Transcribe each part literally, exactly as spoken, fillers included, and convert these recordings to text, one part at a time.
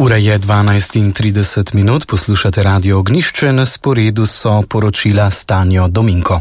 Ura je dvanajst in trideset minut, poslušate Radio Ognjišče, na sporedu so poročila Stanjo Dominko.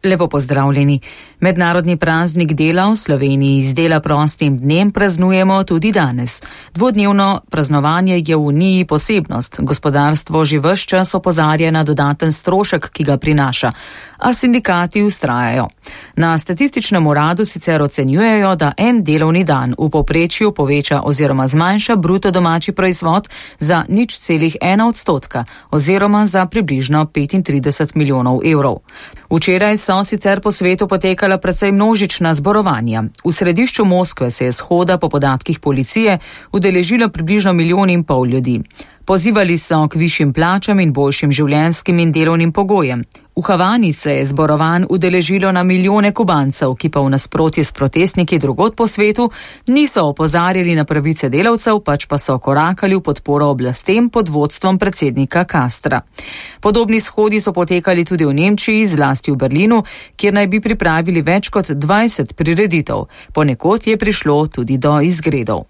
Lepo pozdravljeni. Mednarodni praznik dela v Sloveniji z dela prostim dnem praznujemo tudi danes. Dvodnevno praznovanje je v Uniji posebnost. Gospodarstvo že ves čas opozarja na dodaten strošek, ki ga prinaša, a sindikati vztrajajo. Na statističnem uradu sicer ocenjujejo, da en delovni dan v povprečju poveča oziroma zmanjša bruto domači proizvod za nič celih ena odstotka oziroma za približno petintrideset milijonov evrov. Včeraj so sicer po svetu potekala precej množična zborovanja. V središču Moskve se je shoda po podatkih policije udeležilo približno milijon in pol ljudi. Pozivali so k višjim plačam in boljšim življenjskim in delovnim pogojem. V Havani se je zborovanj udeležilo na milijone Kubancev, ki pa v nasprotju s protestniki drugod po svetu niso opozarjali na pravice delavcev, pač pa so korakali v podporo oblastem pod vodstvom predsednika Castra. Podobni shodi so potekali tudi v Nemčiji, zlasti v Berlinu, kjer naj bi pripravili več kot dvajset prireditev. Ponekod je prišlo tudi do izgredov.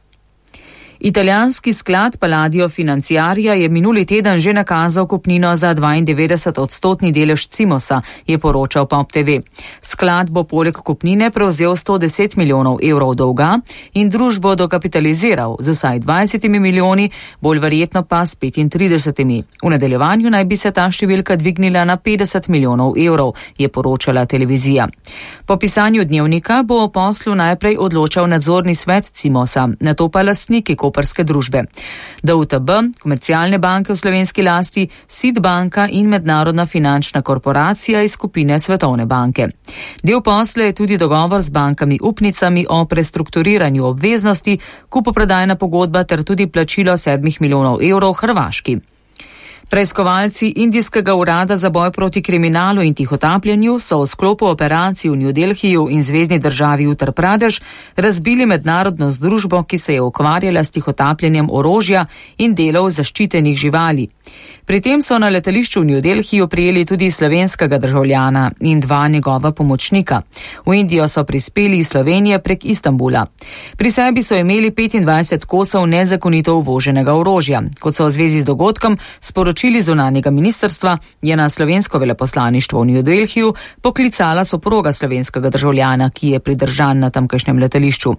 Italijanski sklad Palladio Financiaria je minuli teden že nakazal kupnino za dvaindevetdeset odstotni delež Cimosa, je poročal Pop T V. Sklad bo poleg kupnine prevzel sto deset milijonov evrov dolga in družbo dokapitaliziral z vsaj dvajsetimi milijoni, bolj verjetno pa s petintridesetimi. V nadaljevanju naj bi se ta številka dvignila na petdeset milijonov evrov, je poročala televizija. Po pisanju dnevnika bo o poslu najprej odločal nadzorni svet Cimosa, nato pa lastniki koprske družbe. D U T B, komercialne banke v slovenski lasti, S I D banka in mednarodna finančna korporacija iz skupine Svetovne banke. Del posla je tudi dogovor z bankami upnicami o prestrukturiranju obveznosti, kupoprodajna pogodba ter tudi plačilo sedmih milijonov evrov Hrvaški. Preiskovalci Indijskega urada za boj proti kriminalu in tihotapljenju so v sklopu operacij v New Delhiju in zvezni državi Uttar Pradesh razbili mednarodno združbo, ki se je ukvarjala s tihotapljenjem orožja in delov zaščitenih živali. Pri tem so na letališču v New Delhiju prijeli tudi slovenskega državljana in dva njegova pomočnika. V Indijo so prispeli iz Slovenije prek Istanbula. Pri sebi so imeli petindvajset kosov nezakonito uvoženega orožja. Kot so v zvezi z dogodkom sporočili zunanjega ministrstva, je na slovensko veleposlaništvo v New Delhiju poklicala soproga slovenskega državljana, ki je pridržan na tamkajšnjem letališču.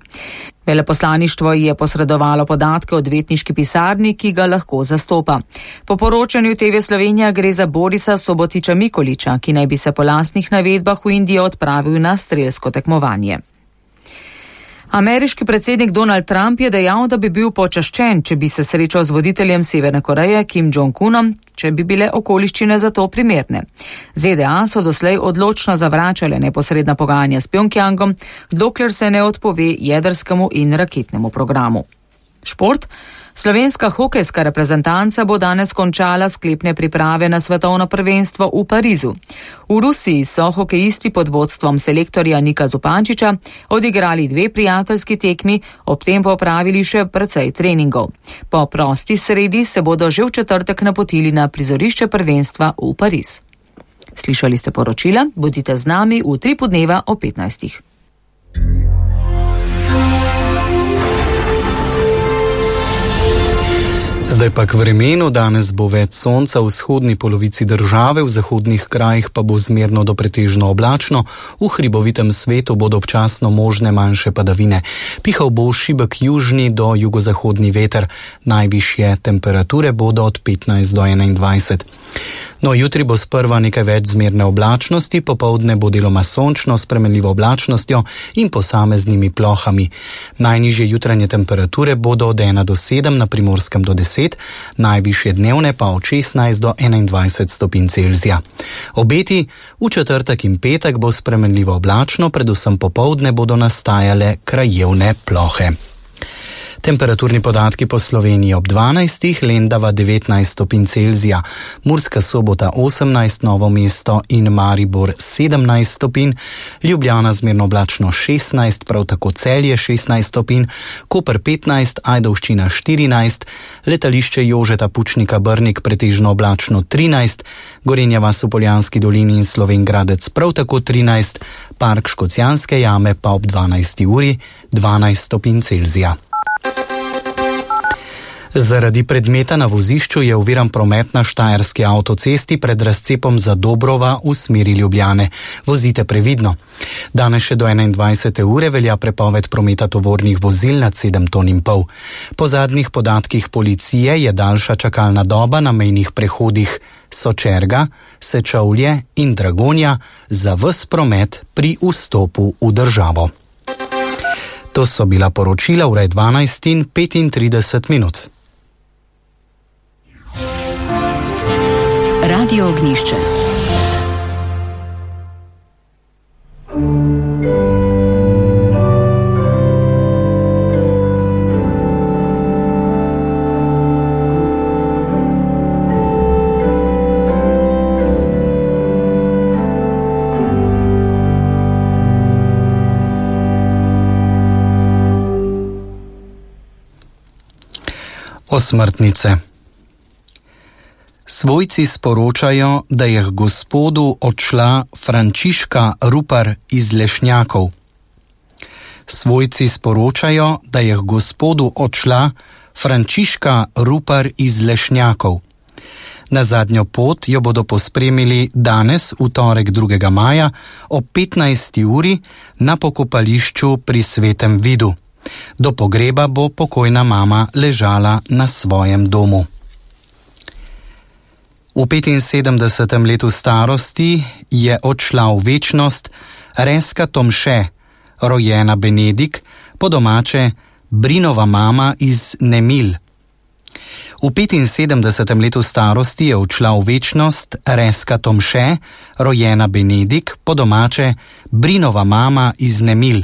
Veleposlaništvo je posredovalo podatke o odvetniški pisarni, ki ga lahko zastopa. Po poročanju T V Slovenija gre za Borisa Sobotiča Mikoliča, ki naj bi se po lastnih navedbah v Indijo odpravil na strelsko tekmovanje. Ameriški predsednik Donald Trump je dejal, da bi bil počaščen, če bi se srečal z voditeljem Severne Koreje Kim Jong-unom, če bi bile okoliščine za to primerne. Z D A so doslej odločno zavračale neposredna pogajanja s Pjongjangom, dokler se ne odpove jedrskemu in raketnemu programu. Šport. Slovenska hokejska reprezentanca bo danes končala sklepne priprave na svetovno prvenstvo v Parizu. V Rusiji so hokejisti pod vodstvom selektorja Nika Zupančiča odigrali dve prijateljski tekmi, ob tem pa opravili še precej treningov. Po prosti sredi se bodo že v četrtek napotili na prizorišče prvenstva v Pariz. Slišali ste poročila, bodite z nami v tri podneva o petnajstih. Zdaj pa k vremenu. Danes bo več sonca v vzhodni polovici države, v zahodnih krajih pa bo zmerno do pretežno oblačno, v hribovitem svetu bodo občasno možne manjše padavine. Pihal bo šibek južni do jugozahodni veter, najvišje temperature bodo od petnajst do enaindvajset. No, jutri bo sprva nekaj več zmerne oblačnosti, popoldne bo deloma sončno s spremenljivo oblačnostjo in posameznimi plohami. Najnižje jutranje temperature bodo od ena do sedem, na Primorskem do deset, najvišje dnevne pa od šestnajst do enaindvajset stopinj Celzija. Obeti: v četrtek in petek bo spremenljivo oblačno, predvsem popoldne bodo nastajale krajevne plohe. Temperaturni podatki po Sloveniji ob dvanajstih, Lendava devetnajst stopinj Celzija, Murska Sobota osemnajst, Novo mesto in Maribor sedemnajst stopinj, Ljubljana zmerno oblačno šestnajst, prav tako Celje šestnajst stopinj, Koper petnajst, Ajdovščina štirinajst, letališče Jožeta Pučnika Brnik pretežno oblačno trinajst, Gorenja vas v Poljanski dolini in Slovenj Gradec prav tako trinajst, Park Škocjanske jame pa ob dvanajsti uri dvanajst stopinj Celzija. Zaradi predmeta na vozišču je oviran promet na štajerski avtocesti pred razcepom za Dobrova v smeri Ljubljane. Vozite previdno. Danes še do enaindvajsete ure velja prepoved prometa tovornih vozil nad sedem ton in pol. Po zadnjih podatkih policije je daljša čakalna doba na mejnih prehodih Sočerga, Sečovlje in Dragonja za ves promet pri vstopu v državo. To so bila poročila ure dvanajst in petintrideset minut. Radio Ognjišče. Osmrtnice. Svojci sporočajo, da je k Gospodu odšla Frančiška Rupar iz Lešnjakov. Svojci sporočajo, da je k Gospodu odšla Frančiška Rupar iz Lešnjakov. Na zadnjo pot jo bodo pospremili danes, v torek drugega maja, ob petnajsti uri na pokopališču pri Svetem Vidu. Do pogreba bo pokojna mama ležala na svojem domu. V petinsedemdesetem letu starosti je odšla v večnost Reska Tomše, rojena Benedik, po domače Brinova mama iz Nemil. V petinsedemdesetem letu starosti je odšla v večnost Reska Tomše, rojena Benedik, po domače Brinova mama iz Nemil.